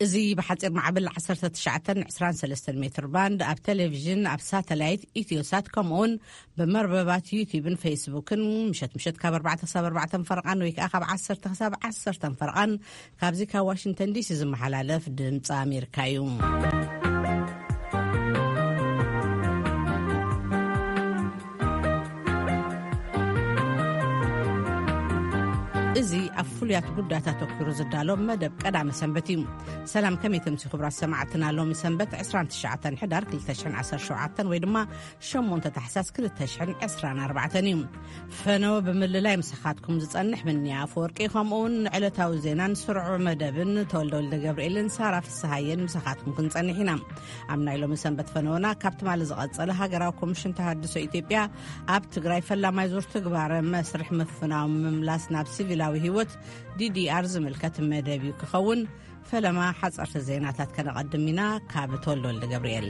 እዚ ብሓጺር ማዕበል ዓሰርተ ትሽዓተ ዕስራን ሰለስተን ሜትር ባንድ፣ ኣብ ቴሌቪዥን፣ ኣብ ሳተላይት፣ ኢትዮሳት፣ ከምኡውን ብመርበባት ዩቲዩብን ፌስቡክን ምሸት ምሸት ካብ ኣርባዕተ ክሳብ ኣርባዕተ ፈረቓን ወይ ከዓ ካብ ዓሰርተ ክሳብ ዓሰርተ ፈረቓን ካብዚ ካብ ዋሽንግተን ዲሲ ዝመሓላለፍ ድምፂ ኣሜሪካ እዩ። እዚ ኣብ ፍሉያት ጉዳያት ኣተኲሩ ዝዳሎ መደብ ቀዳመ ሰንበት እዩ። ሰላም፣ ከመይ ትምሲ ክቡራት ሰማዕትና? ሎሚ ሰንበት ዕስራን ትሽዓተን ሕዳር ክልተ ሽሕን ዓሰርተ ሸውዓተን ወይ ድማ ሸሞንተ ታሕሳስ ክልተ ሽሕን ዕስራን ኣርባዕተን እዩ። ፈነወ ብምልላይ ምሳኻትኩም ዝጸንሕ ምንያ ኣፈወርቂ፣ ከምኡውን ንዕለታዊ ዜናን ስሩዕ መደብን ተወልደ ወልደ ገብርኤልን ሳራ ፍስሃየን ምሳኻትኩም ክንጸንሕ ኢና። ኣብ ናይ ሎሚ ሰንበት ፈነወና ካብ ትማሊ ዝቐጸለ ሃገራዊ ኮሚሽን ተሃድሶ ኢትዮጵያ ኣብ ትግራይ ፈላማይ ዙር ትግባረ መስርሕ ምፍናው ምምላስ ናብ ሲቪላዊ ህይወት ዲዲኣር ዝምልከት መደብ እዩ ክኸውን። ፈለማ ሓጸርቲ ዜናታት ከነቐድም ኢና። ካብ ተወልደ ወልደ ገብርኤል።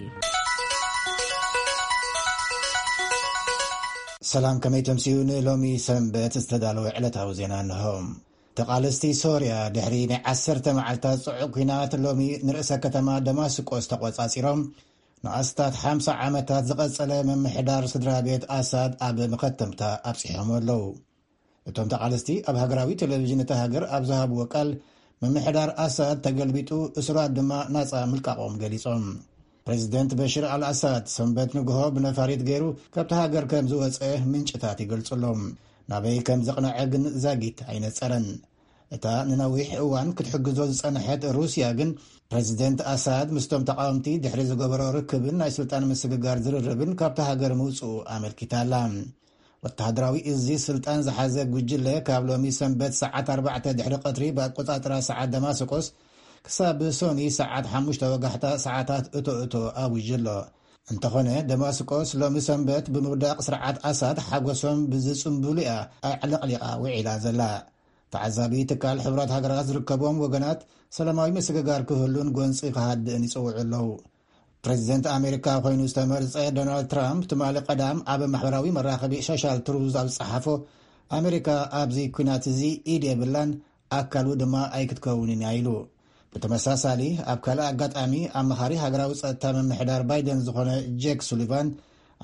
ሰላም፣ ከመይ ተምስዩ? ንሎሚ ሰንበት ዝተዳለወ ዕለታዊ ዜና እንሆ። ተቓለስቲ ሶርያ ድሕሪ ናይ ዓሰርተ መዓልታት ጽዑቕ ኲናት ሎሚ ንርእሰ ከተማ ደማስቆስ ተቖጻጺሮም፣ ንኣስታት ሓምሳ ዓመታት ዝቐጸለ ምምሕዳር ስድራ ቤት ኣሳድ ኣብ መኸተምታ ኣብጺሖም ኣለዉ። እቶም ተቓለስቲ ኣብ ሃገራዊ ቴሌቪዥን እታ ሃገር ኣብ ዝሃብዎ ቃል፣ ምምሕዳር ኣሳድ ተገልቢጡ፣ እሱራት ድማ ናጻ ምልቃቖም ገሊጾም። ፕሬዚደንት በሽር ኣልኣሳድ ሰንበት ንግሆ ብነፋሪት ገይሩ ካብቲ ሃገር ከም ዝወጸ ምንጭታት ይገልጹ ኣለዉ። ናበይ ከም ዘቕነዐ ግን ዛጊት ኣይነጸረን። እታ ንነዊሕ እዋን ክትሕግዞ ዝጸንሐት ሩስያ ግን፣ ፕሬዚደንት ኣሳድ ምስቶም ተቓወምቲ ድሕሪ ዝገበሮ ርክብን ናይ ስልጣን ምስግጋር ዝርርብን ካብታ ሃገር ምውጽኡ ኣመልኪታ ኣላ። ወተሃደራዊ እዚ ስልጣን ዝሓዘ ጉጅለ ካብ ሎሚ ሰንበት ሰዓት ኣርባዕተ ድሕሪ ቀትሪ ብኣቆጻጽራ ሰዓት ደማስቆስ ክሳብ ሶኒ ሰዓት ሓሙሽተ ወጋሕታ ሰዓታት እቶ እቶ ኣዊጁ ኣሎ። እንተኾነ ደማስቆስ ሎሚ ሰንበት ብምውዳቕ ስርዓት ኣሳድ ሓጎሶም ብዝጽንብሉ እያ ኣዕለቕሊቓ ውዒላ ዘላ። ተዓዛቢ ትካል ሕቡራት ሃገራት ዝርከቦም ወገናት ሰላማዊ ምስግጋር ክህሉን ጎንጺ ክሃድእን ይጽውዑ ኣለዉ። ፕሬዚደንት ኣሜሪካ ኮይኑ ዝተመርጸ ዶናልድ ትራምፕ ትማሊ ቀዳም ኣብ ማሕበራዊ መራኸቢ ሶሻል ትሩዝ ኣብ ዝጸሓፎ፣ ኣሜሪካ ኣብዚ ኲናት እዚ ኢድ የብላን፣ ኣካሉ ድማ ኣይክትከውንን እያ ኢሉ። ብተመሳሳሊ ኣብ ካልእ ኣጋጣሚ ኣማኻሪ ሃገራዊ ጸጥታ ምምሕዳር ባይደን ዝኾነ ጄክ ሱሊቫን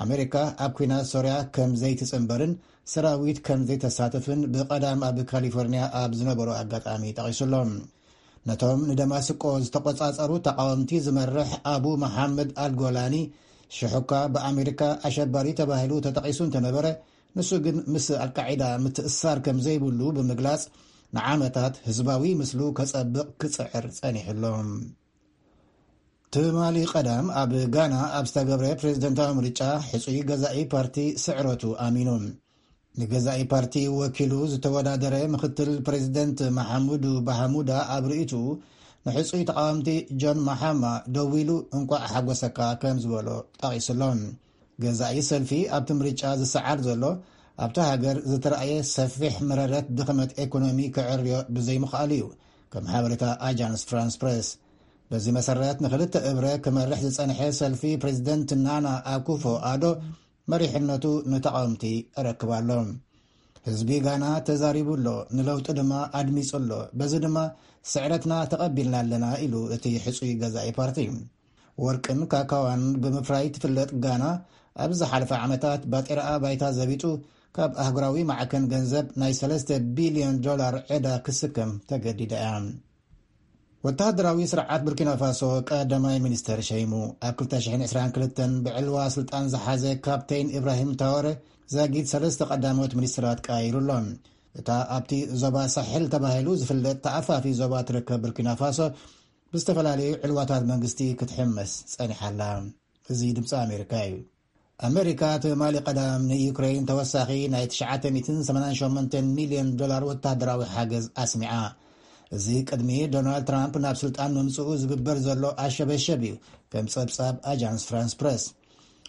ኣሜሪካ ኣብ ኲናት ሶርያ ከም ዘይትጽንበርን ሰራዊት ከም ዘይተሳትፍን ብቐዳም ኣብ ካሊፎርኒያ ኣብ ዝነበሮ ኣጋጣሚ ጠቒሱ ኣሎ። ነቶም ንደማስቆ ዝተቖጻጸሩ ተቓወምቲ ዝመርሕ ኣቡ መሓመድ ኣልጎላኒ፣ ሽሑካ ብኣሜሪካ ኣሸባሪ ተባሂሉ ተጠቒሱ እንተነበረ፣ ንሱ ግን ምስ ኣልቃዒዳ ምትእስሳር ከም ዘይብሉ ብምግላጽ፣ ንዓመታት ህዝባዊ ምስሉ ከጸብቕ ክጽዕር ጸኒሑ ኣሎ። ትማሊ ቀዳም ኣብ ጋና ኣብ ዝተገብረ ፕሬዝደንታዊ ምርጫ፣ ሕጹይ ገዛኢ ፓርቲ ስዕረቱ ኣሚኑ። ንገዛኢ ፓርቲ ወኪሉ ዝተወዳደረ ምኽትል ፕሬዝደንት መሓሙዱ ባሃሙዳ ኣብ ርእይትኡ፣ ንሕጹይ ተቓወምቲ ጆን ማሓማ ደዊሉ እንቋዕ ሓጎሰካ ከም ዝበሎ ጠቒሱ ኣሎ። ገዛኢ ሰልፊ ኣብቲ ምርጫ ዝሰዓር ዘሎ፣ ኣብታ ሃገር ዝተራእየ ሰፊሕ መረረት ድኽመት ኤኮኖሚ ክዕርዮ ብዘይምኽኣሉ እዩ፣ ከም ሓበሬታ ኣጃንስ ፍራንስ ፕሬስ። በዚ መሰረት ንኽልተ እብረ ክመርሕ ዝጸንሐ ሰልፊ ፕሬዝደንት ናና ኣኩፎ ኣዶ መሪሕነቱ ንተቓወምቲ ኣረክብ ኣሎ። ህዝቢ ጋና ተዛሪቡ ኣሎ፣ ንለውጢ ድማ ኣድሚጹ ኣሎ። በዚ ድማ ስዕረትና ተቐቢልና ኣለና ኢሉ እቲ ሕጹይ ገዛኢ ፓርቲ። ወርቅን ካካዋን ብምፍራይ ትፍለጥ ጋና ኣብ ዝሓለፈ ዓመታት ባጤራኣ ባይታ ዘቢጡ ካብ ኣህጉራዊ ማዕከን ገንዘብ ናይ ሰለስተ ቢልዮን ዶላር ዕዳ ክስከም ተገዲዳ እያ። ወተሃደራዊ ስርዓት ቡርኪና ፋሶ ቀዳማይ ሚኒስተር ሸይሙ። ኣብ ክልተ ሽሕን ዕስራን ክልተን ብዕልዋ ስልጣን ዝሓዘ ካፕቴን ኢብራሂም ታወረ ዛጊት ሰለስተ ቀዳሞት ሚኒስትራት ቀያይሩ ኣሎ። እታ ኣብቲ ዞባ ሳሕል ተባሂሉ ዝፍለጥ ተኣፋፊ ዞባ ትርከብ ቡርኪና ፋሶ ብዝተፈላለዩ ዕልዋታት መንግስቲ ክትሕመስ ጸኒሓ ኣላ። እዚ ድምፂ ኣሜሪካ እዩ። ኣሜሪካ ትማሊ ቀዳም ንዩክሬን ተወሳኺ ናይ ትሽዓተ ሚእትን ሰማንያን ሸሞንተን ሚልዮን ዶላር ወተሃደራዊ ሓገዝ ኣስሚዓ። እዚ ቅድሚ ዶናልድ ትራምፕ ናብ ስልጣን ምምፅኡ ዝግበር ዘሎ ኣሸበሸብ እዩ፣ ከም ፀብፃብ ኣጃንስ ፍራንስ ፕረስ።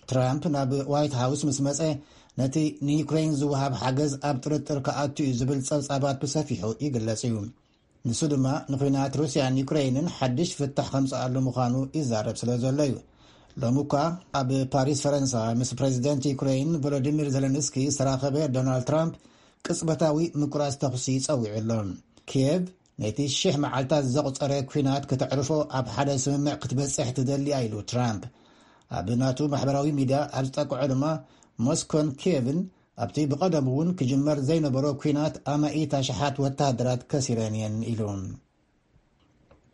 ትራምፕ ናብ ዋይት ሃውስ ምስ መፀ፣ ነቲ ንዩክሬን ዝወሃብ ሓገዝ ኣብ ጥርጥር ክኣቱ እዩ ዝብል ፀብፃባት ብሰፊሑ ይግለጽ እዩ። ንሱ ድማ ንኹናት ሩስያን ዩክሬንን ሓድሽ ፍታሕ ከምጽኣሉ ምዃኑ ይዛረብ ስለ ዘሎ እዩ። ሎሚ እኳ ኣብ ፓሪስ ፈረንሳ ምስ ፕሬዚደንት ዩክሬን ቮሎዲሚር ዘለንስኪ ዝተራኸበ ዶናልድ ትራምፕ ቅጽበታዊ ምቁራጽ ተኹሲ ጸዊዑ ኣሎ። ኪየቭ ነቲ ሽሕ መዓልታት ዘቑጸረ ኲናት ክተዕርፎ ኣብ ሓደ ስምምዕ ክትበጽሕ ትደሊ እያ ኢሉ ትራምፕ። ኣብ ናቱ ማሕበራዊ ሚድያ ኣብ ዝጠቅዖ ድማ፣ ሞስኮን ኪየቭን ኣብቲ ብቐደሙ እውን ክጅመር ዘይነበሮ ኲናት ኣማኢት ኣሽሓት ወተሃደራት ከሲረን እየን ኢሉ።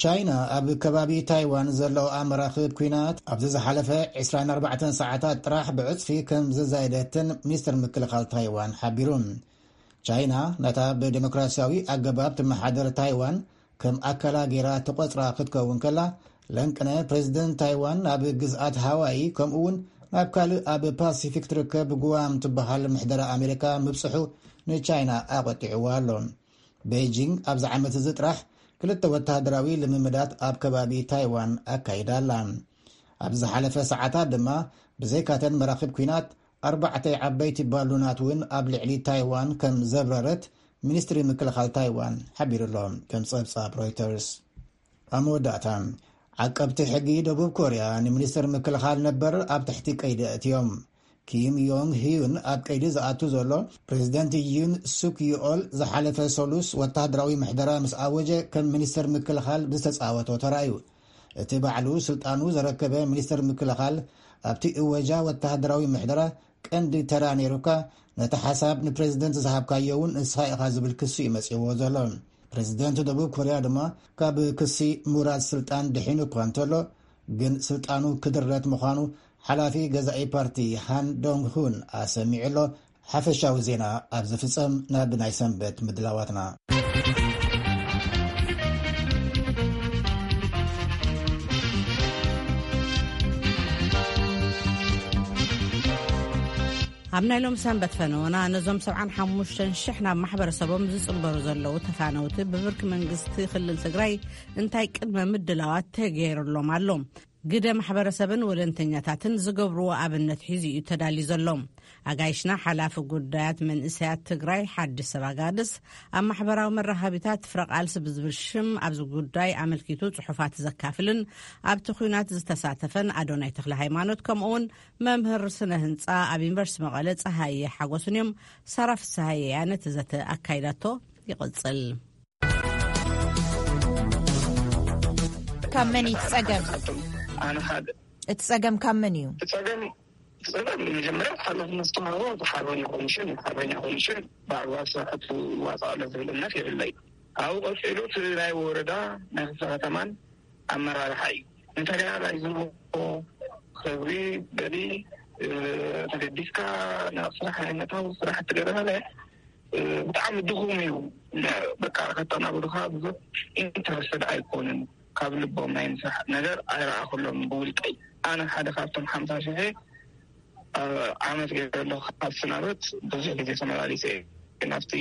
ቻይና ኣብ ከባቢ ታይዋን ዘለዋ መራኽብ ኲናት ኣብዚ ዝሓለፈ ዕስራን ኣርባዕተን ሰዓታት ጥራሕ ብዕጽፊ ከም ዘዛየደትን ሚኒስትር ምክልኻል ታይዋን ሓቢሩ። ቻይና ነታ ብዴሞክራሲያዊ ኣገባብ ትመሓደር ታይዋን ከም ኣካላ ገይራ ትቖጽራ ክትከውን ከላ፣ ለንቅነ ፕሬዚደንት ታይዋን ናብ ግዝኣት ሃዋይ ከምኡ እውን ናብ ካልእ ኣብ ፓሲፊክ ትርከብ ጉዋም ትበሃል ምሕደራ ኣሜሪካ ምብጽሑ ንቻይና ኣቖጢዕዋ ኣሎ። ቤጂንግ ኣብዚ ዓመት እዚ ጥራሕ ክልተ ወተሃደራዊ ልምምዳት ኣብ ከባቢ ታይዋን ኣካይዳ ኣላ። ኣብ ዝሓለፈ ሰዓታት ድማ ብዘይካተን መራኽብ ኲናት ኣርባዕተ ዓበይቲ ባሉናት እውን ኣብ ልዕሊ ታይዋን ከም ዘብረረት ሚኒስትሪ ምክልኻል ታይዋን ሓቢሩ ኣሎ፣ ከም ጸብጻብ ሮይተርስ። ኣብ መወዳእታ፣ ዓቀብቲ ሕጊ ደቡብ ኮርያ ንሚኒስትር ምክልኻል ነበር ኣብ ትሕቲ ቀይዲ ኣእትዮም። ኪም ዮንግ ሂዩን ኣብ ቀይዲ ዝኣቱ ዘሎ፣ ፕሬዚደንት ዩን ሱክ ዩኦል ዝሓለፈ ሰሉስ ወተሃደራዊ ምሕደራ ምስ ኣወጀ ከም ሚኒስትር ምክልኻል ብዝተጻወቶ ተራእዩ። እቲ ባዕሉ ስልጣኑ ዘረከበ ሚኒስትር ምክልኻል ኣብቲ እወጃ ወተሃደራዊ ምሕደራ ቀንዲ ተራ ነይሩካ፣ ነቲ ሓሳብ ንፕሬዚደንት ዝሃብካዮ እውን ንስኻ ኢኻ ዝብል ክሲ እዩ መጺእዎ ዘሎ። ፕሬዚደንት ደቡብ ኮርያ ድማ ካብ ክሲ ምውራድ ስልጣን ድሒኑ እኳ እንተሎ፣ ግን ስልጣኑ ክድረት ምዃኑ ሓላፊ ገዛኢ ፓርቲ ሃን ዶንግ ሁን ኣሰሚዑ ኣሎ። ሓፈሻዊ ዜና ኣብ ዝፍጸም ናብ ናይ ሰንበት ምድላዋትና። ኣብ ናይ ሎም ሰንበት ፈነወና ነዞም ሰብዓን ሓሙሽተን ሽሕ ናብ ማሕበረሰቦም ዝጽንበሩ ዘለዉ ተፋነውቲ ብብርኪ መንግስቲ ክልል ትግራይ እንታይ ቅድመ ምድላዋት ተገይሩሎም ኣሎ? ግደ ማሕበረሰብን ወለንተኛታትን ዝገብርዎ ኣብነት ሒዙ እዩ ተዳልዩ ዘሎ። ኣጋይሽና ሓላፊ ጉዳያት መንእሰያት ትግራይ ሓድሽ ሰብ ኣጋድስ ኣብ ማሕበራዊ መራኸቢታት ፍረ ቃልሲ ብዝብል ሽም ኣብዚ ጉዳይ ኣመልኪቱ ጽሑፋት ዘካፍልን ኣብቲ ኲናት ዝተሳተፈን ኣዶናይ ተኽለ ሃይማኖት ከምኡውን መምህር ስነ ህንጻ ኣብ ዩኒቨርሲቲ መቐለ ጸሃየ ሓጎስን እዮም። ሳራ ፍስሃየ እያ ነቲ ዘተ ኣካይዳቶ። ይቕጽል። ካብ መን እዩ እቲ ጸገም? ኣነ ሓደ እቲ ጸገም ካብ መን እዩ? እቲ ጸገም እቲ ጸገም መጀመርያ ሓላፍነት ዝተዋህቦ ሓርበኛ ኮሚሽን፣ ሓርበኛ ኮሚሽን ብኣግባብ ስራሕቱ ይዋፃእ ኣሎ ዝብል እምነት የብለይ። ኣብኡ ቀፂሉ እቲ ናይ ወረዳ ናይ ክፍለ ከተማን ኣመራርሓ እዩ። እንተገና ናይ ዝንሆ ክብሪ በሊ ተገዲስካ ናብ ስራሕ ናይ ምእታው ስራሕ ትገበረለ ብጣዕሚ ድኹም እዩ። በቃ ከተናብሩካ ብዙሕ ኢንተረስትድ ኣይኮኑን። ካብ ልቦም ናይ ምስራሕ ነገር ኣይረኣኹሎም ብውልቀይ። ኣነ ሓደ ካብቶም ሓምሳ ሽሕ ዓመት ገይረ ኣለኹ። ካብ ስናበት ብዙሕ ግዜ ተመላሊሰ እየ። ናብቲ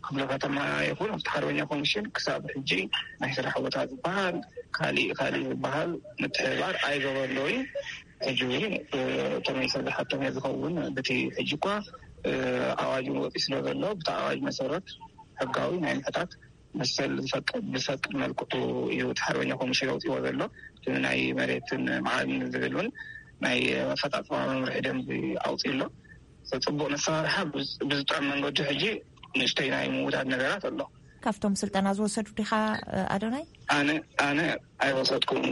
ክፍለ ከተማ ይኹን ኣብቲ ሓርበኛ ኮሚሽን ክሳብ ሕጂ ናይ ስራሕ ቦታ ዝበሃል ካሊእ ካሊእ ዝበሃል ምትሕብባር ኣይገበርለይ። ሕጂ እውን ተመይሰ ዝሓቶም እየ ዝኸውን። ብቲ ሕጂ እኳ ኣዋጅ እውን ወፂ ስለ ዘሎ ብቲ ኣዋጅ መሰረት ሕጋዊ ናይ ምሕታት መሰል ዝፈቅድ ብዝፈቅድ መልክዑ እዩ እቲ ሓርበኛ ኮሚሽን ኣውፂዎ ዘሎ። እቲ ናይ መሬትን መዓድን ዝብል እውን ናይ ኣፈፃፅማ መምርሒ ደንቢ ኣውፂኡ ኣሎ። ፅቡቅ ነሰራርሓ ብዝጥዕም መንገዲ ሕጂ ንእሽተይ ናይ ምውዳድ ነገራት ኣሎ። ካብቶም ስልጠና ዝወሰዱ ዲኻ ኣዶናይ? ኣነ ኣነ ኣይወሰድኩም።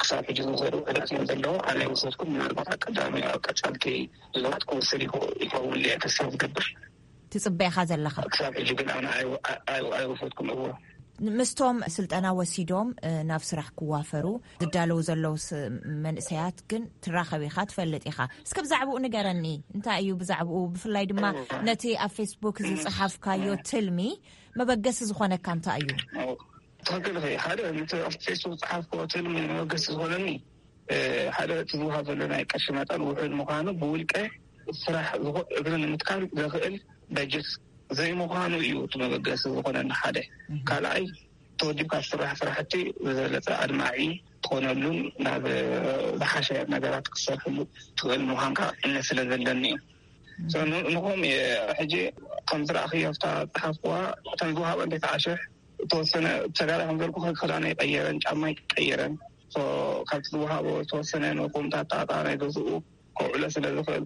ክሳብ ሕጂ ዝወሰዱ ሕደት እዮም ዘለዉ። ኣነ ኣይወሰድኩም። ምናልባት ኣብ ቀዳሚ ኣብ ቀጻልቲ ዙራት ክወስድ ይኸ- ይኸውን ኢለ ተስፋ ዝገብር። ትጽበ ኢኻ ዘለኻ? ክሳብ ሕጂ ግን ኣነ ኣይ- ኣይ- ኣይወሰድኩም። እዎ። ምስቶም ስልጠና ወሲዶም ናብ ስራሕ ክዋፈሩ ዝዳለዉ ዘለዉ መንእሰያት ግን ትራኸብ ኢኻ፣ ትፈልጥ ኢኻ። እስከ ብዛዕባኡ ንገረኒ። እንታይ እዩ ብዛዕባኡ? ብፍላይ ድማ ነቲ ኣብ ፌስቡክ ዝጸሓፍካዮ ትልሚ መበገሲ ዝኾነካ እንታይ እዩ? ትኽክል ኢኺ። ሓደ ነቲ ኣብ ፌስቡክ ዝጸሓፍክዎ ትልሚ መበገሲ ዝኾነኒ ሓደ እቲ ዝወሃብ ዘሎ ናይ ቅርሺ መጠን ውሑድ ምዃኑ፣ ብውልቀ ስራሕ እግሪ ንምትካል ዘኽእል በጀት ዘይምዃኑ እዩ እቲ መበገሲ ዝኾነኒ ሓደ። ካልኣይ ተወዲብካ ዝስራሕ ስራሕቲ ብዝበለፀ ኣድማዒ ትኾነሉን ናብ ዝሓሸ ነገራት ክትሰርሕሉ ትኽእል ምዃንካ እምነት ስለ ዘለኒ እዩ። ንኹም ሕጂ ከም ዝረኣኽዮ ኣብታ ፀሓፍኩዋ እተን ዝወሃበ እንተይተዓሸሕ ዝተወሰነ ተጋዳላይ ከም ዘልኩ ክዳነይ ቀየረን ጫማይ ቀየረን። ካብቲ ዝወሃቦ ዝተወሰነ ንኹምታት ጣጣ ናይ ገዝኡ ከውዕሎ ስለ ዝኽእል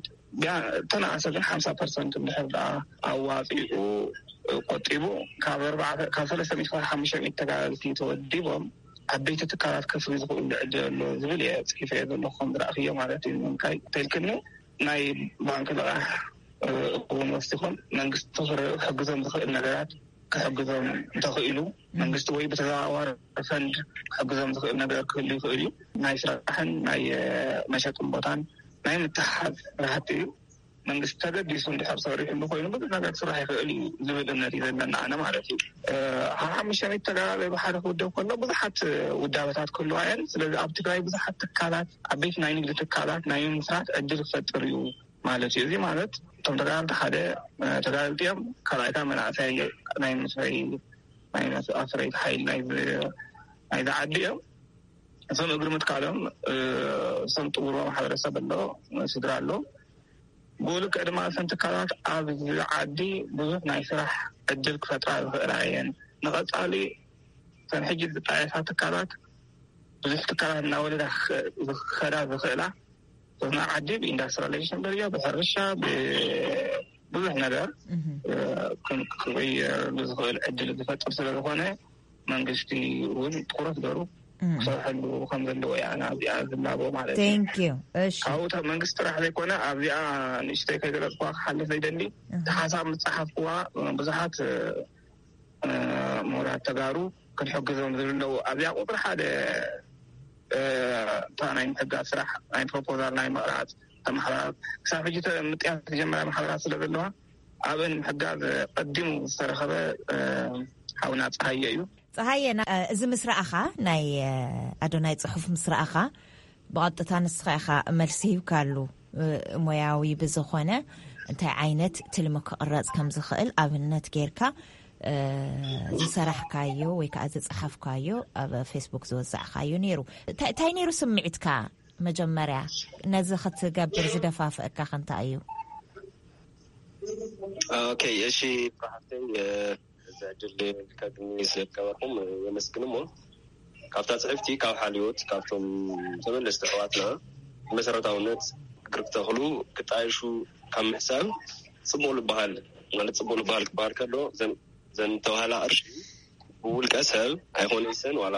ተናኣሰ ግን ሓምሳ ፐርሰንት እንድሕር ደኣ ኣዋፂኡ ቆጢቡ ካብ ኣርባዕተ ካብ ሰለስተ ሚእቲ ክሳብ ሓሙሽተ ሚእቲ ተጋደልቲ ተወዲቦም ዓበይቲ ትካላት ከፍሪ ዝኽእሉ ዕድል ኣሎ ዝብል እየ ጽሒፈ እየ ዘለኹ። ከም ዝረእኽዮ ማለት እዩ። እንታይ ተልክኒ ናይ ባንክ ልቓሕ እውን ወሲኾም መንግስቲ ክሕግዞም ዝኽእል ነገራት ክሕግዞም እንተኽኢሉ መንግስቲ ወይ ብተዘዋዋሪ ፈንድ ክሕግዞም ዝኽእል ነገር ክህሉ ይኽእል እዩ። ናይ ስራሕን ናይ መሸጥን ቦታን ናይ ምትሓዝ ስራሕቲ እዩ። መንግስቲ ተገዲሱ እንድሕር ሰሪሕሉ ኮይኑ ብዙሕ ነገር ክስራሕ ይኽእል እዩ ዝብል እምነት እዩ ዘለና ኣነ ማለት እዩ። ሓሓሙሽተ ሚእቲ ተጋዳላይ ብሓደ ክውደብ ከሎ ብዙሓት ውዳበታት ክህልዋ እየን። ስለዚ ኣብ ትግራይ ብዙሓት ትካላት፣ ዓበይቲ ናይ ንግዲ ትካላት ናይ ምስራት ዕድል ክፈጥር እዩ ማለት እዩ። እዚ ማለት እቶም ተጋዳልቲ ሓደ ተጋዳልቲ እዮም። ካልኣይታ መናእሰይ ናይ ምስረይ ናይ ኣፍረይቲ ሓይሊ ናይዚ ዓዲ እዮም። እቶም እግሪ ምትካሎም እቶም ጥውሮ ማሕበረሰብ ኣሎ፣ ስድራ ኣሎ። ብኡ ልክዕ ድማ እተን ትካላት ኣብዚ ዓዲ ብዙሕ ናይ ስራሕ ዕድል ክፈጥራ ዝኽእላ እየን። ንቐፃሊ እተን ሕጂ ዝጣየሳ ትካላት ብዙሕ ትካላት እናወለዳ ክኸዳ ዝኽእላ፣ እተን ዓዲ ብኢንዳስትሪላይዜሽን ደረጃ፣ ብሕርሻ፣ ብዙሕ ነገር ክቕየር ዝኽእል ዕድል ዝፈጥር ስለዝኾነ መንግስቲ እውን ትኩረት ገሩ ክሰርሐሉ ከም ዘለዎ እያ ኣዚኣ ዝላቦ ማለት እዩ። Thank you። እሺ። ካብኡ መንግስቲ ጥራሕ ዘይኮነ ኣብዚኣ ንእሽተይ ከይገለፅኩዋ ክሓልፍ ዘይደሊ እቲ ሓሳብ ምፅሓፍኩዋ ብዙሓት ምሁራት ተጋሩ ክንሕግዞም ዝብለው ኣብዚኣ ቁፅሪ ሓደ እታ ናይ ምሕጋዝ ስራሕ ናይ ፕሮፖዛል ናይ ምቕራፅ ተማሕበራት ክሳብ ሕጂ ምጥያት ዝጀመራ ማሕበራት ስለ ዘለዋ ኣብን ምሕጋዝ ቀዲሙ ዝተረኸበ ሓውና ፀሃየ እዩ። ፀሃየ፣ እዚ ምስ ረኣኻ ናይ ኣዶናይ ፅሑፍ ምስ ረኣኻ ብቐጥታ ንስኻ ኢኻ መልሲ ሂብካሉ። ሞያዊ ብዝኾነ እንታይ ዓይነት ትልሚ ክቕረፅ ከም ዝኽእል ኣብነት ጌርካ ዝሰራሕካዮ ወይ ከዓ ዝፀሓፍካዮ ኣብ ፌስቡክ ዝወዛዕካዮ ነይሩ። እንታይ ነይሩ ስምዒትካ? መጀመርያ ነዚ ክትገብር ዝደፋፍአካ ከንታ እዩ? ኦኬ፣ እሺ፣ ብራሃተይ እዚ ዕድል ከግኒ ስለዝገበርኩም የመስግን። እሞ ካብታ ፅሕፍቲ ካብ ሓልዮት ካብቶም ተመለስቲ ኣሕዋትና መሰረታውነት እግሪ ክተኽሉ ክጣየሹ ካብ ምሕሳብ ፅቡቅ ዝበሃል ማለት ፅቡቅ ዝበሃል ክበሃል ከሎ ዘን ተባህላ ቅርሺ ብውልቀ ሰብ ኣይኮነይሰን ዋላ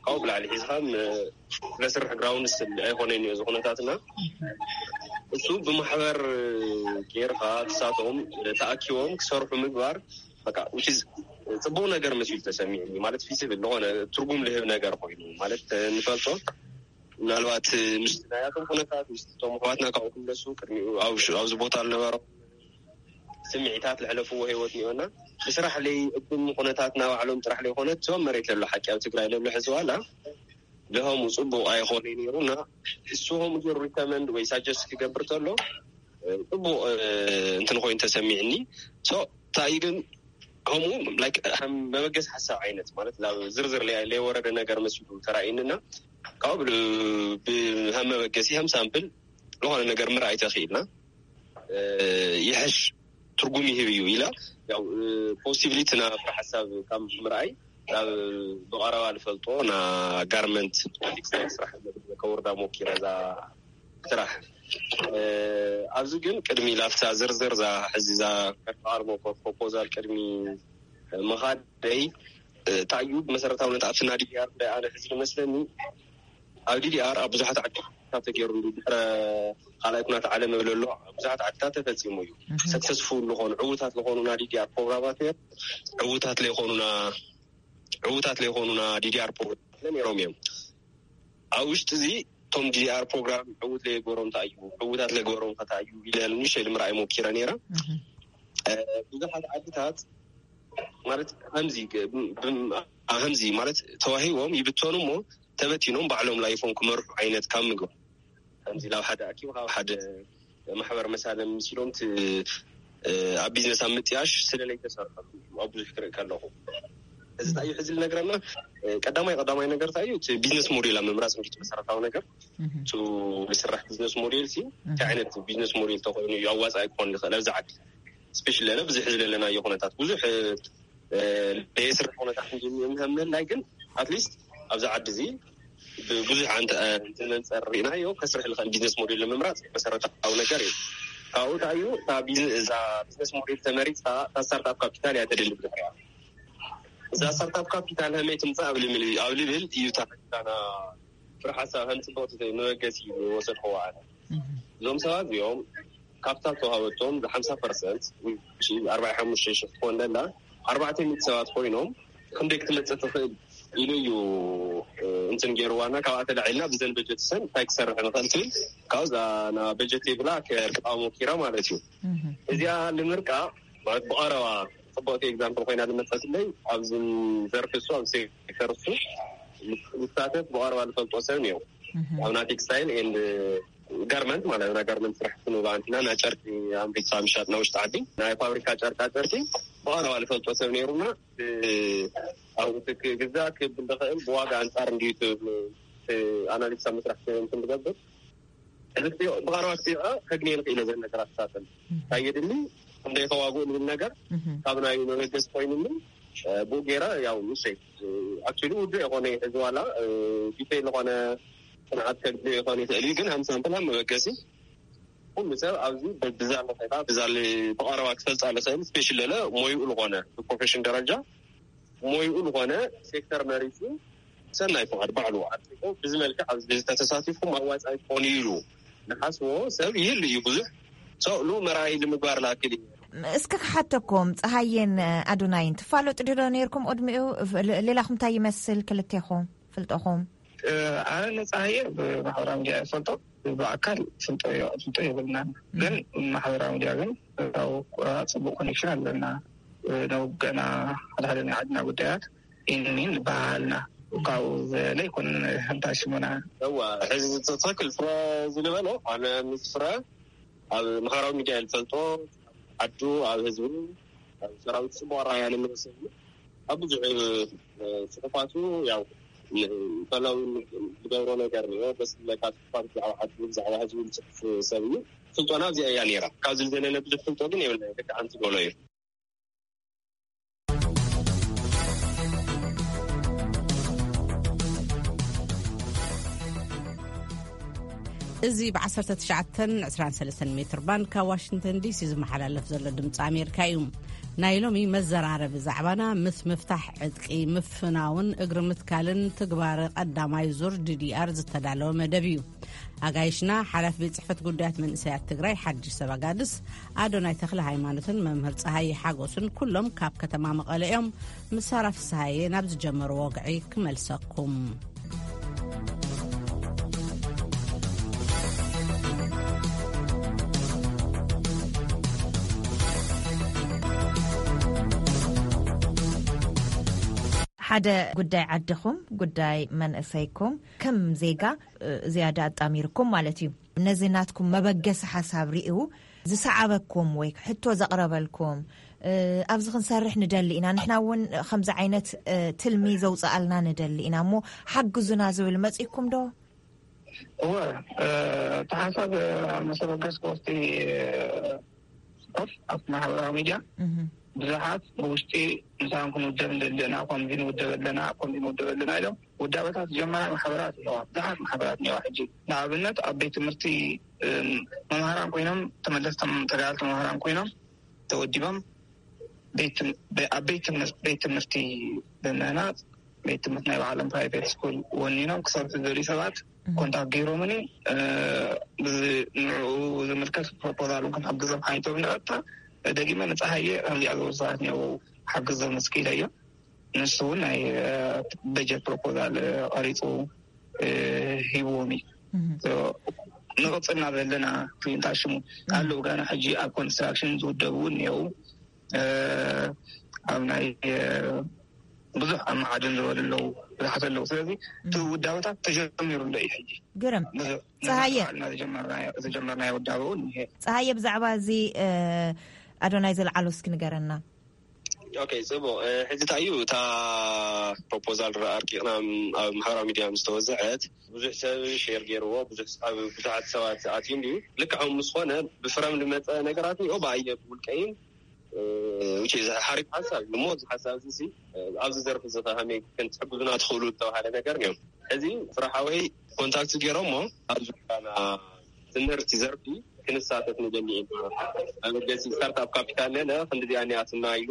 ካብኡ ብላዕሊ ሒዝካ ለስርሕ ግራውንስ ኣይኮነን እዩ እዚ ኩነታትና። እሱ ብማሕበር ጌርካ ክሳቶም ተኣኪቦም ክሰርሑ ምግባር በቃ which is ፅቡቅ ነገር መሲሉ ተሰሚዕኒ። ማለት ፊስብል ዝኾነ ትርጉም ልህብ ነገር ኮይኑ ማለት ንፈልጦ ምናልባት ምስ ናያቶም ኩነታት ምስ ቶም ኣሕዋትና ካብኡ ክምለሱ ቅድሚኡ ኣብዚ ቦታ ዝነበሮም ስምዒታት ዝሕለፍዎ ህይወት እኒኦና ብስራሕ ለይ እብን ኩነታት ናባዕሎም ጥራሕ ለይኮነ እቶም መሬት ለሎ ሓቂ ኣብ ትግራይ ለሎ ሕዚ ዋላ ለሆሙ ፅቡቅ ኣይኮነ ነይሩ እና እሱ ከምኡ ገይሩ ሪከመንድ ወይ ሳጀስት ክገብር ተሎ ፅቡቅ እንትን ኮይኑ ተሰሚዕኒ። ሶ እንታይ ግን ከምኡ ላይክ ከም መበገሲ ሓሳብ ዓይነት ማለት ናብ ዝርዝር ለይ- ለይወረደ ነገር መሲሉ ተራእዩኒ እና ካብኡ ብል- ብ- ከም መበገሲ ከም ሳምፕል ዝኾነ ነገር ምርኣይ ተኽኢልና ይሕሽ ትርጉም ይህብ እዩ ኢላ ያው ፖሲቢሊቲ ና ፍረ ሓሳብ ካብ ምርኣይ ናብ ብቐረባ ዝፈልጦ ና ጋርመንት ቴክስታይል ስራሕ ከወርዳ ሞኪረ እዛ ስራሕ ኣብዚ ግን ቅድሚ ላፍታ ዝርዝር ዛ ሕዚ ዛ ከርተቃርሞ ፕሮፖዛል ቅድሚ ምኻደይ እንታይ እዩ ብመሰረታውነት ኣብቲ ና ዲዲኣር ጉዳይ ኣነ ሕዚ ዝመስለኒ ኣብ ዲዲኣር ኣብ ብዙሓት ዓዲ ካብ ተገይሩ ድሕረ ካልኣይ ኩናት ዓለም እብል ኣሎ ኣብ ብዙሓት ዓድታት ተፈፂሙ እዩ ሰክሰስፉል ዝኾኑ ዕዉታት ዝኾኑ ና ዲዲኣር ፕሮግራማት ነይሩ ዕዉታት ለይኮኑና ዕዉታት ለይኮኑና ዲዲኣር ፕሮግራም ነይሮም እዮም ኣብ ውሽጢ እዚ እቶም ዲዲኣር ፕሮግራም ዕዉት ለየገበሮም እንታይ እዩ ዕዉታት ለገበሮም ከታ እዩ ኢለ ንሸል ምርኣይ ሞኪረ ነይረ ብዙሓት ዓድታት ማለት ከምዚ ከምዚ ማለት ተዋሂቦም ይብተኑ እሞ ተበቲኖም ባዕሎም ላይፎም ክመርሑ ዓይነት ካብ ምግባር ከምዚ ናብ ሓደ ኣኪቡ ካብ ሓደ ማሕበር መሳለ ምስ ኢሎም ኣብ ቢዝነስ ኣብ ምጥያሽ ስለለይ ተሰርሐሉ ኣብ ብዙሕ ክርኢ ከለኹ እዚ እንታይ እዩ ሕዚ ዝነግረና ቀዳማይ ቀዳማይ ነገር እንታይ እዩ እቲ ቢዝነስ ሞዴል ኣብ ምምራፅ እንጂ መሰረታዊ ነገር ቱ ዝስራሕ ቢዝነስ ሞዴል ሲ እንታይ ዓይነት ቢዝነስ ሞዴል ተኮይኑ እዩ ኣዋፃኢ ክኾን ይኽእል ኣብዚ ዓዲ ስፔሻሊ ለለ ብዙሕ ዝለለናዮ ኩነታት ብዙሕ ለየስራሕ ኩነታት እንጂ ምህምልላይ ግን ኣትሊስት ኣብዚ ዓዲ እዚ ብዙሕ ኣንተ እንትንንፀር ርኢናዮ ከስርሕ ዝኽእል ቢዝነስ ሞዴል ንምምራፅ መሰረታዊ ነገር እዩ ኣብኡ እንታይ እዩ፣ እታ ቢዝ-፣ እዛ ቢዝነስ ሞዴል ተመሪፅካ፣ እታ ስታርታፕ ካፒታል እያ ተደሊ ብድሕሪያ። እዛ ስታርታፕ ካፒታል ከመይ ትምፃእ ኣብ ልብል፣ ኣብ ልብል እዩ እታ ፍረ ሓሳብ ከም ፅቡቅ መበገሲ ወሰድክዎ ኣነ። እዞም ሰባት እዚኦም ካፒታል ተዋሃበቶም ብ ሓምሳ ፐርሰንት፣ ኣርባዕተ ሓሙሽተ ሽሕ ትኾን ደላ፣ ኣርባዕተ ሚእቲ ሰባት ኮይኖም ክንደይ ክትመፅእ ትኽእል ኢሉ እዩ እንትን ገይርዋና። ካብኣ ተላዒልና ብዘን በጀት ሰን እንታይ ክሰርሕ ንኽእል ትብል፣ ካብኡ እዛ ና በጀት ይብላ ከርቃ ሞኪራ ማለት እዩ። እዚኣ ንምርቃ ማለት ብቐረባ ጽቡቕቲ ኤግዛምፕል ኮይና ዝመጸትለይ፣ ኣብዚ ዘርፊ እሱ፣ ኣብ ሴክተር እሱ ዝሳተፍ ብቐረባ ዝፈልጦ ሰብ ነይሩ። ኣብ ናይ ቴክስታይል ኤንድ ጋርመንት ማለት ናይ ጋርመንት ስራሕ ክንብሎ ኣንቲና ናይ ጨርቂ ኣምሪትካ ምሻጥ ናይ ውሽጢ ዓዲ ናይ ፋብሪካ ጨርቃ ጨርቂ ብቐረባ ዝፈልጦ ሰብ ነይሩና። ብ-፣ ኣብኡ ክግዛእ ክብል ዝኽእል ብዋጋ ኣንጻር እንድዩ እቲ ኣናሊሲስ ኣብ መስራሕ እንትን ዝገብር። እዚ ብቐረባ ክሪኦ ከግንየ ንኽእል እየ ዘለ ነገራት ሳጥን እንታይ የድሊ፣ ክንደይ ከዋግኡ ዝብል ነገር ካብ ናይ መበገሲ ኮይኑኒ፣ ብኡ ገይረ ያው ንሰይ ኣክቹሊ ውዱእ የኾነ እዚ ዋላ ዲቴይል ዝኾነ ጽንዓት ከግንዮ ይኾን ይኽእል እዩ፣ ግን ሃምሳ እንተላ መበገሲ ኩሉ ሰብ ኣብዚ ብዛለ ኸይታ ብዛለ ብቐረባ ክፈልጻ ዝኽእል ስፔሻሊ ለለ ሞይኡ ዝኾነ ብፕሮፌሽን ደረጃ ሞይኡ ዝኾነ ሴክተር መሪጹ ሰናይ ፍቓድ ባዕሉ ኣጥሪቑ ብዚ መልክዕ ኣብዚ ተተሳቲፍኩም ኣዋጻኢ ክኾን እዩ ኢሉ ንሓስቦ ሰብ ይህሉ እዩ ብዙሕ። ሰብሉ መርኣይ ንምግባር ላክል እዩ። እስከ ክሓተኩም፣ ፀሃየን ኣዶናይን ትፋለጡ ድዶ ነይርኩም ቅድሚኡ? ሌላኹም እንታይ ይመስል ክልቴኹም ፍልጠኹም? ኣነ ንፀሃየ ብማሕበራዊ ሚዲያ ይፈልጦ፣ ብኣካል ፍልጦ ዮ-፣ ፍልጦ የብልናን። ግን ማሕበራዊ ሚዲያ ግን ያው ጽቡቅ ኮኔክሽን ኣለና። ንውገና ሓደ ሓደ ናይ ዓድና ጉዳያት ኢንሚን በሃልና ካብኡ ዘለ ኣይኮነን። ሓንታ ሽሙና እዋ፣ ሕዚ ትኽክል ፍረ ዝልበሎ ኣነ ምስ ፍረ ኣብ ማሕበራዊ ሚዲያ ዝፈልጦ ዓዱ ኣብ ህዝቡ ኣብ ሰራዊት ጽቡቅ ኣረኣያ ንመሰሉ ኣብ ብዙሕ ጽሑፋቱ ያው ፈላዊ ዝገብሮ ነገር እዩ። ደስ ዝብለካ ጽሑፋት ብዛዕባ ዓዱ ብዛዕባ ህዝቡ ዝጽሕፍ ሰብ እዩ። ስልጠና ኣብዚኣ እያ ነይራ። ካብዚ ዝዘለለ ብዙሕ ፍልጦ ግን የብልና። ደቂ ሓንቲ ጎሎ እዩ። እዚ ብ19 23 ሜትር ባንድ ካብ ዋሽንግተን ዲሲ ዝመሓላለፍ ዘሎ ድምፂ ኣሜሪካ እዩ። ናይ ሎሚ መዘራረቢ ዛዕባና ምስ ምፍታሕ ዕጥቂ፣ ምፍናውን እግሪ ምትካልን ትግባረ ቀዳማይ ዙር ዲዲኣር ዝተዳለወ መደብ እዩ። ኣጋይሽና ሓላፊ ቤት ጽሕፈት ጉዳያት መንእሰያት ትግራይ ሓድሽ ሰብ ኣጋድስ ኣዶናይ ተኽለ ሃይማኖትን መምህር ፀሃይ ሓጎስን ኩሎም ካብ ከተማ መቐለ እዮም። ምስ ሳራ ፍስሃየ ናብ ዝጀመርዎ ወግዒ ክመልሰኩም። ሓደ ጉዳይ ዓድኹም፣ ጉዳይ መንእሰይኩም ከም ዜጋ፣ እ፣ ዝያዳ ኣጣሚርኩም ማለት እዩ። ነዚ ናትኩም መበገሲ ሓሳብ ርእዩ ዝሰዓበኩም ወይ ሕቶ ዘቕረበልኩም፣ እ፣ ኣብዚ ክንሰርሕ ንደሊ ኢና፣ ንሕና እውን ከምዚ ዓይነት፣ እ፣ ትልሚ ዘውፅኣልና ንደሊ ኢና እሞ ሓግዙና ዝብል መፂእኩም ዶ? እወ፣ እ፣ እቲ ሓሳብ፣ እ፣ መሰበገሲ ኮስቲ፣ እ፣ ስፖርት ኣብ ማሕበራዊ ሚድያ እህ። ብዙሓት ብውሽጢ ምሳን ክንውደብ ንደሊ ኢና፣ ከምዚ ንውደብ ኣለና፣ ከምዚ ንውደብ ኣለና ኢሎም ውዳበታት ዝጀመራ ማሕበራት ኣለዋ። ብዙሓት ማሕበራት እኒዋ። ሕጂ ንኣብነት ኣብ ቤት ትምህርቲ፣ እም፣ መምሃራን ኮይኖም፣ ተመለስቶም ተጋደልቲ መምሃራን ኮይኖም ተወዲቦም ቤት ትም-፣ ቤ-፣ ኣብ ቤት ትምህር-፣ ቤት ትምህርቲ ብምህናፅ ቤት ትምህርቲ ናይ ባዕሎም ፕራይቬት ስኩል ወኒኖም ክሰርሑ ዝደልዩ ሰባት እህ። ኮንታክት ገይሮምኒ፣ እ፣ ብዚ ንዕኡ ዝምልከት ፕሮፖዛል እውን ክንሕግዞም ሓኒቶም ንቐጥታ ደጊመ ንፀሃየ ከምዚኣ ዝበሉ ሰባት እኒአው ሓግዞም እስኪ ኢለዮ። ንሱ እውን ናይ፣ እ፣ በጀት ፕሮፖዛል፣ እ፣ ቀሪፁ፣ እ፣ ሂብዎም እዩ። እህ። ሶ፣ ንቕፅልና ዘለና ክሊንታ ሽሙ እህ። ኣለዉ። ጋና ሕጂ ኣብ ኮንስትራክሽን ዝውደቡ እውን እኒአው። እ፣ ኣብ ናይ፣ እ፣ ብዙሕ ኣብ መዓድን ዝበሉ ኣለዉ፣ ብዙሓት ኣለዉ። ስለዚ እቲ እህ። ውዳበታት ተጀሚሩ ኣሎ እዩ ሕጂ። ግርም። ብዙሕ፣ ፀሃየ። ንባዕልና ዝጀመርናዮ፣ ዝጀመርናዮ ውዳበ እውን እኒሀ። ፀሃየ፣ ብዛዕባ እዚ፣ እ፣ ኣዶናይ ዘልዓሎ እስኪ ንገረና። ኦኬ፣ ጽቡቕ። እ፣ ሕጂ እንታይ እዩ፣ እታ ፕሮፖዛል ረ-፣ ኣርቂቕና ም-፣ ኣብ ማሕበራዊ ሚድያ ምስ ተወዝዐት፣ ብዙሕ ሰብ ሼር ገይርዎ፣ ብዙሕ ስ-፣ ኣብ ብዙሓት ሰባት ኣትዩ እንድዩ። ልክዕ ከምኡ ምስ ኾነ፣ ብፍረም ዝመጸ ነገራት እኒኦ፣ ብኣየ ብውልቀይን፣ እ፣ which is ሓሪፍ ሓሳብ እዩ። እሞ እዚ ሓሳብ እዚ ሲ፣ እ፣ ኣብዚ ዘርፊ እዚ ኸ ከመይ ክንትሕግዙና ትኽእሉ ዝተባሃለ ነገር እኒኦ። ሕዚ ፍረ ሓወይ ኮንታክት ገይሮሞ፣ ኣብ ዙርያና ትምህርቲ ዘርፊ ክንሳተፍ ንደሊ ኢና። ኣብ መገሲ ስታርታፕ ካፒታል ለለ ክንዲዚኣ እኒኣትና ኢሉ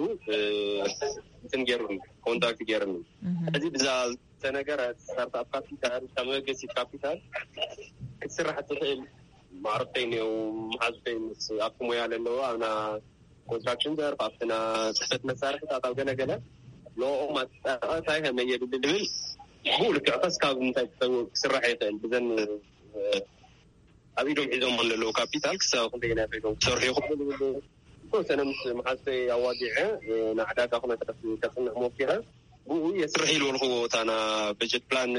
እንትን ገይሩኒ፣ ኮንታክት ገይሩኒ። እዚ ብዛ ዝተነገረ ስታርታፕ ካፒታል ካብ መበገሲት ካፒታል ክትስራሕ ትኽእል ማዕርፍተይ እኒው፣ መሓዙተይ ምስ ኣብቲ ሞያ ለለዎ ኣብና ኮንስትራክሽን ዘርፍ ኣብትና ፅሕፈት መሳርሕታት ኣብ ገለገለ ንኦም ኣጠቃታይ ከመይ የድሊ ዝብል ብኡ ልክዕ ከስ ካብ እንታይ ክስራሕ ይኽእል ብዘን ኣብ ኢዶም ሒዞም ዘለዉ ካፒታል ክሳብ ክንደየናይ ኮይኖም ክሰርሑ ይኽእሉ ዝብል ዝተወሰነ ምስ መሓዝተይ ኣዋጊዐ ንዕዳጋ ኩነታት ከፅንዕ ሞኪረ። ብኡ የስርሕ ኢልወልክዎ እታና በጀት ፕላን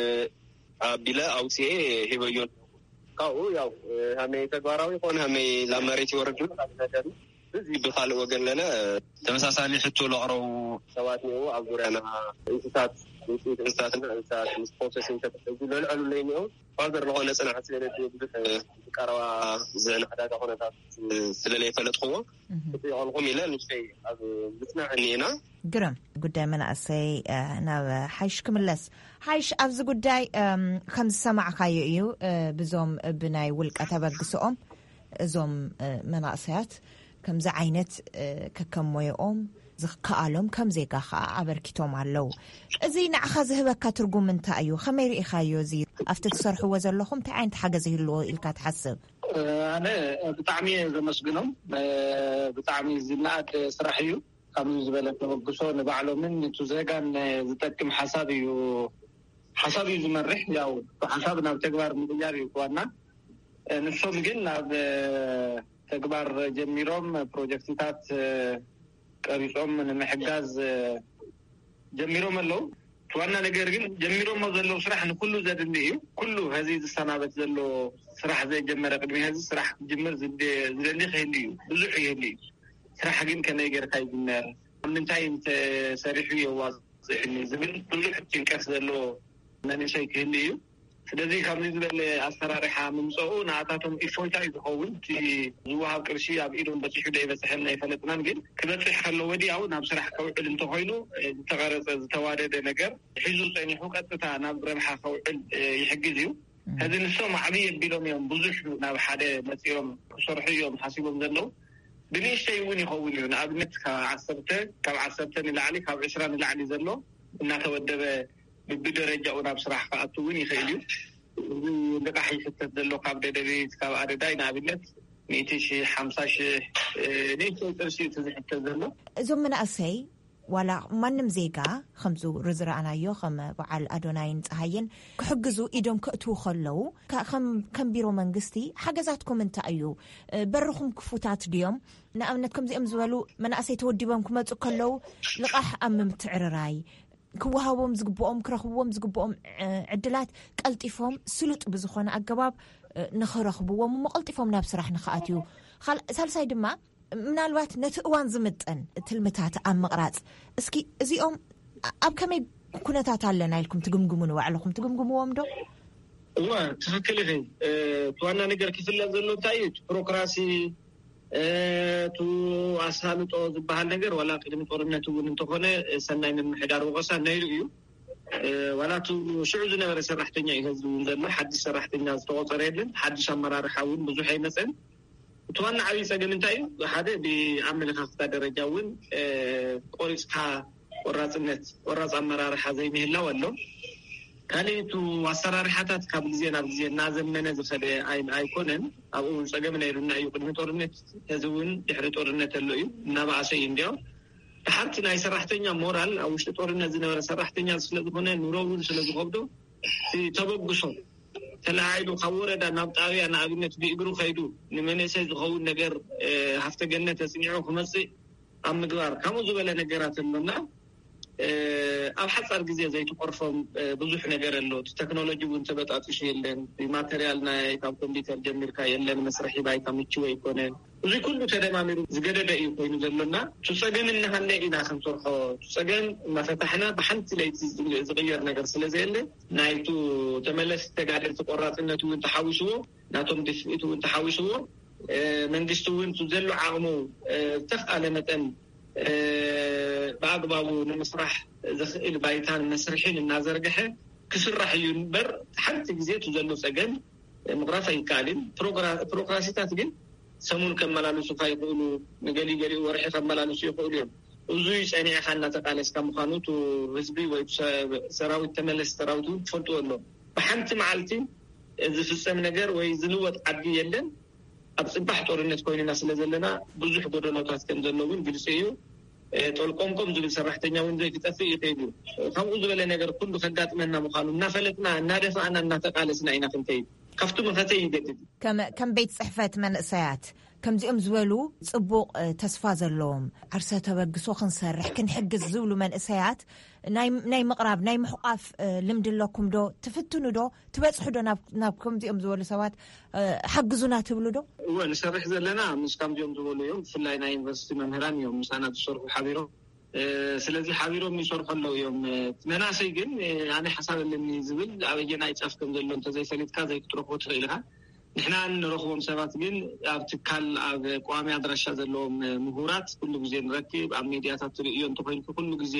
ኣቢለ ኣውፅኤ ሂበዮ። ካብኡ ያው ሃመይ ተግባራዊ ይኾን ሃመይ ላብ መሬት ይወርድ ይብል ካልእ ነገር እዩ። እዚ ብኻልእ ወገን ለለ ተመሳሳሊ ሕቶ ለቕረቡ ሰባት እኒአው ኣብ ዙርያና እንስሳት ውፅኢት እንስሳትና እንስሳት ምስ ፕሮሰሲንግ ተተሐዙ ለልዐሉ ለይ እኒአው ፋርደር ዝኾነ ፅናሕ ስለለ ብዙሕ ቀረባ ዝዕዳጋ ኩነታት ስለለይፈለጥክዎ ክጥይቐልኩም ኢለ ንሽተይ ኣብ ምፅናዕ እኒኤና። ግርም ጉዳይ መናእሰይ ናብ ሓይሽ ክምለስ። ሓይሽ ኣብዚ ጉዳይ ከም ዝሰማዕካዮ እዩ። ብዞም ብናይ ውልቀ ተበግስኦም እዞም መናእሰያት ከምዚ ዓይነት ከከም ሞየኦም ዝከኣሎም ከም ዜጋ ከዓ ኣበርኪቶም ኣለዉ። እዚ ንዓኻ ዝህበካ ትርጉም እንታይ እዩ? ከመይ ርኢኻዮ? እዚ ኣብቲ ትሰርሕዎ ዘለኹም እንታይ ዓይነት ሓገዝ ይህልዎ ኢልካ ትሓስብ? ኣነ ብጣዕሚ እየ ዘመስግኖም። ብጣዕሚ ዝነኣድ ስራሕ እዩ። ከምዚ ዝበለ ተበግሶ ንባዕሎምን ንቱ ዜጋን ዝጠቅም ሓሳብ እዩ። ሓሳብ እዩ ዝመርሕ። ያው ሓሳብ ናብ ተግባር ምቕያር እዩ ዋና። ንሶም ግን ናብ ተግባር ጀሚሮም ፕሮጀክትታት ቀሪጾም ንምሕጋዝ ጀሚሮም ኣለዉ። እቲ ዋና ነገር ግን ጀሚሮሞ ዘለዉ ስራሕ ንኩሉ ዘድሊ እዩ። ኩሉ ሀዚ ዝሰናበት ዘሎ ስራሕ ዘጀመረ ቅድሚ ሀዚ ስራሕ ክጅምር ዝደ- ዝደሊ ክህሉ እዩ። ብዙሕ ይህሉ እዩ። ስራሕ ግን ከመይ ጌርካ ይጅመር፣ ኣብ ምንታይ እንተሰሪሑ የዋፅእኒ ዝብል ብዙሕ ጭንቀት ዘሎ መንእሰይ ክህሉ እዩ። ስለዚ ካብዚ ዝበለ ኣሰራርሓ ምምፀኡ ንኣታቶም እፎይታ እዩ ዝኸውን። እቲ ዝወሃብ ቅርሺ ኣብ ኢዶም በፂሑ ዶ ኣይበፅሐን ኣይፈለጥናን፣ ግን ክበፅሕ ከሎ ወዲያው ናብ ስራሕ ከውዕል እንተኮይኑ ዝተቐረፀ ዝተዋደደ ነገር ሒዙ ፀኒሑ ቀጥታ ናብ ረብሓ ከውዕል ይሕግዝ እዩ። ሕዚ ንሶም ዓብዪ ኣቢሎም እዮም ብዙሕ ናብ ሓደ መፂኦም ክሰርሑ እዮም ሓሲቦም ዘለዉ። ብንእሽተይ እውን ይኸውን እዩ። ንኣብነት ካብ ዓሰርተ ካብ ዓሰርተ ንላዕሊ ካብ ዕስራ ንላዕሊ ዘሎ እናተወደበ ብብደረጃኡ ናብ ስራሕ ክኣቱ እውን ይኽእል እዩ። እዚ ልቃሕ ይሕተት ዘሎ ካብ ደደቢት ካብ ኣደዳይ ንኣብነት ሚእቲ ሺሕ ሓምሳ ሺሕ ንእሽተይ ቅርሺ እዩ ዝሕተት ዘሎ። እዞም መናእሰይ ዋላ ማንም ዜጋ ከምዚ ዝረኣናዮ ከም በዓል ኣዶናይን ፀሃይን ክሕግዙ ኢዶም ከእትዉ ከለዉ ከም ቢሮ መንግስቲ ሓገዛትኩም እንታይ እዩ? በርኹም ክፉታት ድዮም? ንኣብነት ከምዚኦም ዝበሉ መናእሰይ ተወዲቦም ክመፁ ከለዉ ልቓሕ ኣብ ምምትዕርራይ ክወሃቦም ዝግብኦም ክረኽብዎም ዝግብኦም ዕድላት ቀልጢፎም ስሉጥ ብዝኾነ ኣገባብ ንኽረኽብዎም እሞ ቀልጢፎም ናብ ስራሕ ንኽኣትዩ፣ ሳልሳይ ድማ ምናልባት ነቲ እዋን ዝምጥን ትልምታት ኣብ ምቕራፅ፣ እስኪ እዚኦም ኣብ ከመይ ኩነታት ኣለና ኢልኩም ትግምግሙ? ንባዕልኹም ትግምግምዎም ዶ? እዋ ትኽክል ኢኺ። እቲ ዋና ነገር ክፍለጥ ዘሎ እንታይ እዩ? ፕሮክራሲ፣ እቱ ኣሳልጦ ዝበሃል ነገር ዋላ ቅድሚ ጦርነት እውን እንተኾነ ሰናይ ምምሕዳር ወቐሳ ነይሩ እዩ። ዋላ እቲ ሽዑ ዝነበረ ሰራሕተኛ እዩ ህዝቢ እውን ዘሎ። ሓድሽ ሰራሕተኛ ዝተቆፀረ የለን። ሓድሽ ኣመራርሓ እውን ብዙሕ ኣይመፀን። እቲ ዋና ዓብዪ ፀገም እንታይ እዩ? ሓደ ብኣመለኻኽታ ደረጃ እውን ቆሪፅካ ቆራፅነት ቆራፅ ኣመራርሓ ዘይምህላው ኣሎ። ካልእ እቲ ኣሰራርሓታት ካብ ግዜ ናብ ግዜ እናዘመነ ዝኸደ ኣይኮነን። ኣብኡ እውን ፀገም ነይሩና እዩ ቅድሚ ጦርነት፣ ሕዚ እውን ድሕሪ ጦርነት ኣሎ እዩ፣ እናበኣሰ እዩ። እንዲያው ድሓርቲ ናይ ሰራሕተኛ ሞራል ኣብ ውሽጢ ጦርነት ዝነበረ ሰራሕተኛ ስለዝኾነ ኑሮ እውን ስለዝኸብዶ ተበግሶ ተለዓዒሉ ካብ ወረዳ ናብ ጣብያ ንኣብነት ብእግሩ ከይዱ ንመንእሰይ ዝኸውን ነገር ሃፍተ ገነት ተፅኒዑ ክመፅእ ኣብ ምግባር ከምኡ ዝበለ ነገራት ኣሎና። ኣብ ሓፃር ግዜ ዘይትቆርፎም ብዙሕ ነገር ኣሎ። እቲ ቴክኖሎጂ እውን ተበጣጢሱ የለን። ማተርያል ናይ ካብ ኮምፒውተር ጀሚርካ የለን። መስርሒ ባይታ ምችው ኣይኮነን። እዚ ኩሉ ተደማሚሩ ዝገደደ እዩ ኮይኑ ዘሎና። እቲ ፀገም እናሃለ ኢና ክንሰርሖ፣ እቲ ፀገም እናፈታሕና ብሓንቲ ለይቲ ዝቕየር ነገር ስለዘየለ ናይቱ ተመለስ ተጋደልቲ ቆራፅነት እውን ተሓዊስዎ ናቶም ድፍኢት እውን ተሓዊስዎ መንግስቲ እውን ዘሎ ዓቕሙ ዝተኽኣለ መጠን ብኣግባቡ ንምስራሕ ዝኽእል ባይታን መስርሒን እናዘርግሐ ክስራሕ እዩ እምበር ሓንቲ ግዜ እቲ ዘሎ ፀገም ምቕራፍ ኣይከኣልን። ፕሮክራሲታት ግን ሰሙን ከመላልሱካ ይኽእሉ፣ ንገሊገሊኡ ወርሒ ከመላልሱ ይኽእሉ እዮም። እዙይ ጸኒዕኻ እናተቃለስካ ምዃኑ፣ እቲ ህዝቢ ወይ ሰ-፣ ሰራዊት፣ ተመለስ ሰራዊት እውን ክፈልጥዎ ኣለዎም። ብሓንቲ መዓልቲ ዝፍጸም ነገር ወይ ዝልወጥ ዓዲ የለን። ኣብ ጽባሕ ጦርነት ኮይንና ስለ ዘለና፣ ብዙሕ ጎደሎታት ከም ዘሎ እውን ግልጺ እዩ። እ፣ ጦልቆምቆም ዝብል ሰራሕተኛ እውን ዘይክጠፍእ ይኽእል እዩ። ከምኡ ዝበለ ነገር ኩሉ ከጋጥመና ምዃኑ እናፈለጥና፣ እናደፋእና፣ እናተቃለስና ኢና ክንከይድ። ካብቲ መኸተ ይገድድ። ከም፣ ከም ቤት ጽሕፈት መንእሰያት፣ ከምዚኦም ዝበሉ ጽቡቕ፣ እ፣ ተስፋ ዘለዎም፣ ዓርሰ ተበግሶ ክንሰርሕ፣ ክንሕግዝ ዝብሉ መንእሰያት ናይ፣ ናይ ምቕራብ፣ ናይ ምሕቋፍ፣ እ፣ ልምዲ ኣለኩም ዶ? ትፍትኑ ዶ? ትበጽሑ ዶ ናብ፣ ናብ ከምዚኦም ዝበሉ ሰባት፣ እ፣ ሓግዙና ትብሉ ዶ? እወ፣ ንሰርሕ ዘለና ምስ ከምዚኦም ዝበሉ እዮም። ብፍላይ ናይ ዩኒቨርሲቲ መምህራን እዮም ምሳና ዝሰርሑ ሓቢሮም። እ፣ ስለዚ ሓቢሮም ይሰርሑ ኣለዉ እዮም። እ፣ መናእሰይ ግን፣ እ፣ ኣነ ሓሳብ ኣለኒ ዝብል ኣበየናይ ጫፍ ከም ዘሎ እንተዘይፈሊጥካ ዘይክትረኽቦ ትኽእል ኢኻ። ንሕና ንረኽቦም ሰባት ግን ኣብ ትካል፣ ኣብ ቀዋሚ ኣድራሻ ዘለዎም፣ እ፣ ምሁራት ኩሉ ግዜ ንረክብ። ኣብ ሚድያታት ትርእዮ እንተኾይንኩ ኩሉ ግዜ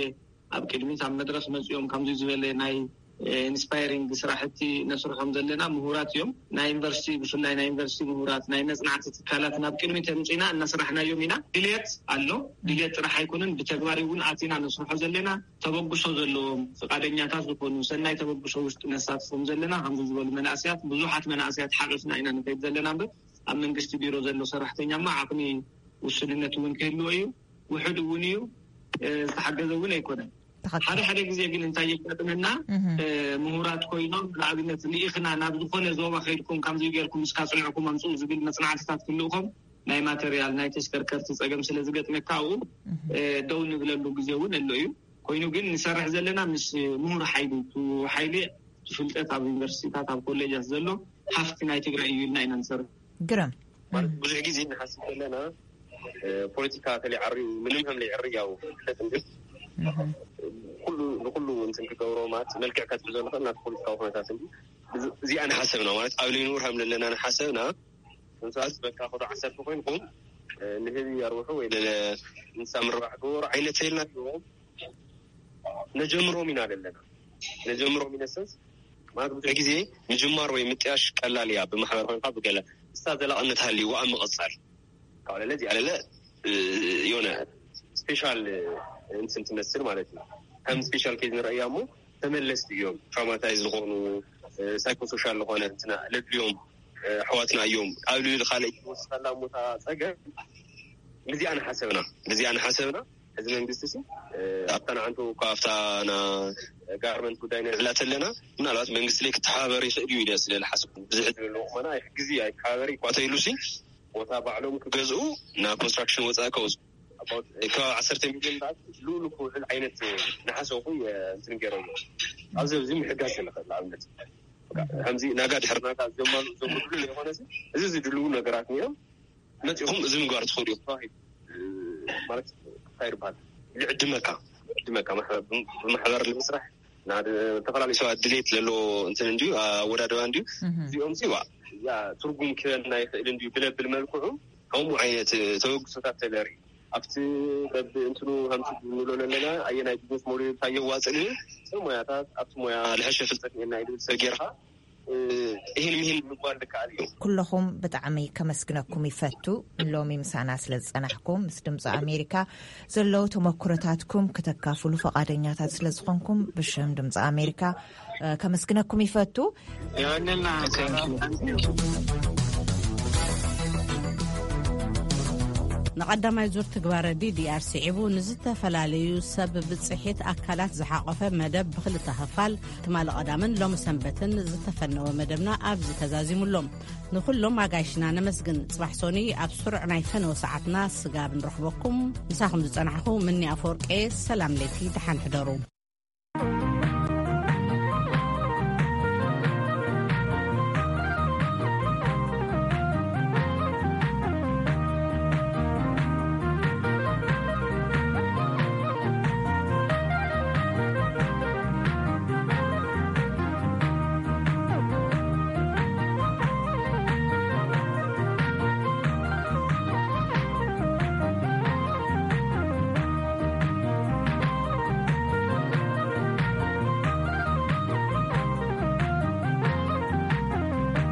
ኣብ ቅድሚት ኣብ መድረኽ መጺኦም ከምዚ ዝበለ ናይ፣ እ፣ ኢንስፓይሪንግ ስራሕቲ ነስርሖም ዘለና ምሁራት እዮም። ናይ ዩኒቨርሲቲ፣ ብፍላይ ናይ ዩኒቨርሲቲ ምሁራት፣ ናይ መጽናዕቲ ትካላት ናብ ቅድሚት ኣምጺና እናስራሕናዮም ኢና። ድልየት ኣሎ። ድልየት ጥራሕ ኣይኮነን፣ ብተግባር እውን ኣቲና ነስርሖ ዘለና። ተበግሶ ዘለዎም ፍቃደኛታት ዝኾኑ፣ ሰናይ ተበግሶ ውሽጢ ነሳትፎም ዘለና፣ ከምዚ ዝበሉ መናእሰያት፣ ብዙሓት መናእሰያት ሓቂፍና ኢና ንኸይድ ዘለና እምበር፣ ኣብ መንግስቲ ቢሮ ዘሎ ሰራሕተኛማ ዓቕሚ ውስንነት እውን ክህልዎ እዩ። ውሑድ እውን እዩ፣ እ፣ ዝተሓገዘ እውን ኣይኮነን። ትኽክል። ሓደ ሓደ ግዜ ግን እንታይ የጋጥመና? እህ። እ፣ ምሁራት ኮይኖም፣ ንኣብነት፣ ልኢኽና ናብ ዝኾነ ዞባ ከይድኩም፣ ከምዚ ጌርኩም እስካ ጽንዕኩም ኣምጽኡ ዝብል መጽናዕትታት ክልእኾም፣ ናይ ማተርያል፣ ናይ ተሽከርከርቲ ጸገም ስለ ዝገጥመካ፣ ኣብኡ፣ እህ። እ፣ ደው ንብለሉ ግዜ እውን ኣሎ እዩ። ኮይኑ ግን ንሰርሕ ዘለና ምስ ምሁር ሓይሊ፣ እቲ ሓይሊ፣ እቲ ፍልጠት ኣብ ዩኒቨርሲቲታት፣ ኣብ ኮሌጃት ዘሎ ሃፍቲ ናይ ትግራይ እዩ ኢልና ኢና ንሰርሕ። ግርም። ማለት ብዙሕ ግዜ ንሓስብ ዘለና፣ እ፣ ፖለቲካ ከለይዓሪ፣ ምንም ከም ለይዕሪ ያው ፍለጥ እንጂ፣ እህ። ኩሉ፣ ንኩሉ እንትን ክገብሮ ማለት መልክዕ ከትሕዞ ንኽእል ናቲ ፖለቲካዊ ኩነታት እንጂ፣ እዚ-፣ እዚኣ ንሓሰብና ማለት ኣብ ለይንውር ከም ዘለና ንሓሰብና፣ ንሳት በቃ ክዶ ዓሰርተ ኮይንኩም፣ እ፣ ንህቢ ኣርብሑ ወይ ለ-፣ እንስሳ ምርባሕ ግበሩ ዓይነት ተይልናዮም። ነጀምሮም ኢና ዘለና። ነጀምሮም ኢነ ሰንስ ማለት ብዙሕ ግዜ ምጅማር ወይ ምጥያሽ ቀላል እያ። ብማሕበር ኮይንካ ብገለ እሳ ዘላቕነት ሃልይዋ ኣብ ምቕጻል። ካብ ለለ እዚኣ ለለ፣ እ፣ የሆነ ስፔሻል፣ እ፣ እንትን ትመስል ማለት እዩ። ከም ስፔሻል ኬዝ ንረእያ እሞ ተመለስቲ እዮም። ትራውማታይዝ ዝኾኑ፣ እ፣ ሳይኮሶሻል ዝኾነ እንትና ለድልዮም፣ እ፣ ኣሕዋትና እዮም። ኣብ ልዕሊ ካልእ ይወስኻላ እሞ እታ ጸገም። ነዚኣ ንሓሰብና፣ ነዚኣ ንሓሰብና። እዚ መንግስቲ ሲ፣ እ፣ ኣብታ ንዓንቱ እኳ ኣብታ ና ጋርመንት ጉዳይ ንዕላ ተለና፣ ምናልባት መንግስቲ ላይ ክተሓባበር ይኽእል እዩ ኢለ ስለ ዝሓስብ፣ ብዙሕ ዕድል ኣለዎ። ቁመና ይሕግዝ እዩ፣ ኣይተሓባበር ይኳተይሉ ሲ፣ ቦታ ባዕሎም ክገዝኡ፣ ና ኮንስትራክሽን ወፃኢ ከውፅኡ። About ከባቢ ዓሰርተ ሚልዮን ባት ልኡሉ ክውዕል ዓይነት ንሓሰብኩ የ-፣ እንትን ገይሮም እዮም። ኣብዚ፣ ኣብዚ ምሕጋዝ ንኽእል ንኣብነት። በቃ፣ ከምዚ ናጋ ድሕሪ ናጋ ዘማሉ-፣ ዘምድሉ ዘይኮነ ሲ፣ እዚ ዝድልዉ ነገራት እዮም። መፂኹም እዚ ምግባር ትኽእሉ እዮም ተባሂሉ፣ እ፣ ማለት እንታይ ይበሃል? ይዕድመካ፣ ይዕድመካ ማሕበር፣ ብማሕበር ንምስራሕ፣ ናብ ዝተፈላለዩ ሰባት ድሌት ዘለዎ እንትን እንድዩ፣ ኣወዳድባ እንድዩ። እዚኦም ሲ ዋ፣ እዚኣ ትርጉም ክህበና ይኽእል እንድዩ ብለብል መልክዑ ከምኡ ዓይነት ተበግሶታት ተለርኢ። ኣብቲ በብ እንትኑ ከምቲ ንብሎ ዘለና ኣየናይ ቢዝነስ ሞዴል እንታይ የዋፅእ ንብል፣ ሰብ ሞያታት ኣብቲ ሞያ ልሐሸ ፍልጠት እኒአና እዩ ዝብል ሰብ ጌርካ፣ እ፣ ይህን ምሂን ምባል ዝከኣል እዩ። ኩለኹም ብጣዕሚ ከመስግነኩም ይፈቱ። ሎሚ ምሳና ስለ ዝጸናሕኩም፣ ምስ ድምፂ ኣሜሪካ ዘለዉ ተመኩሮታትኩም ክተካፍሉ ፈቓደኛታት ስለ ዝኾንኩም፣ ብሽም ድምፂ ኣሜሪካ፣ እ፣ ከመስግነኩም ይፈቱ። የቐንየልና። ንቐዳማይ ዙር ትግባረ ዲዲኣር ስዒቡ ንዝተፈላለዩ ሰብ ብፅሒት ኣካላት ዝሓቖፈ መደብ ብክልተ ክፋል ትማሊ ቀዳምን ሎሚ ሰንበትን ዝተፈነወ መደብና ኣብዚ ተዛዚሙ ኣሎ። ንኹሎም ኣጋይሽና ነመስግን። ጽባሕ ሶኒ ኣብ ስሩዕ ናይ ፈነወ ሰዓትና ስጋብ ንረኽበኩም፣ ምሳኹም ዝጸናሕኹ ምኒ ኣፈወርቄ፣ ሰላም ለይቲ፣ ደሓን ሕደሩ።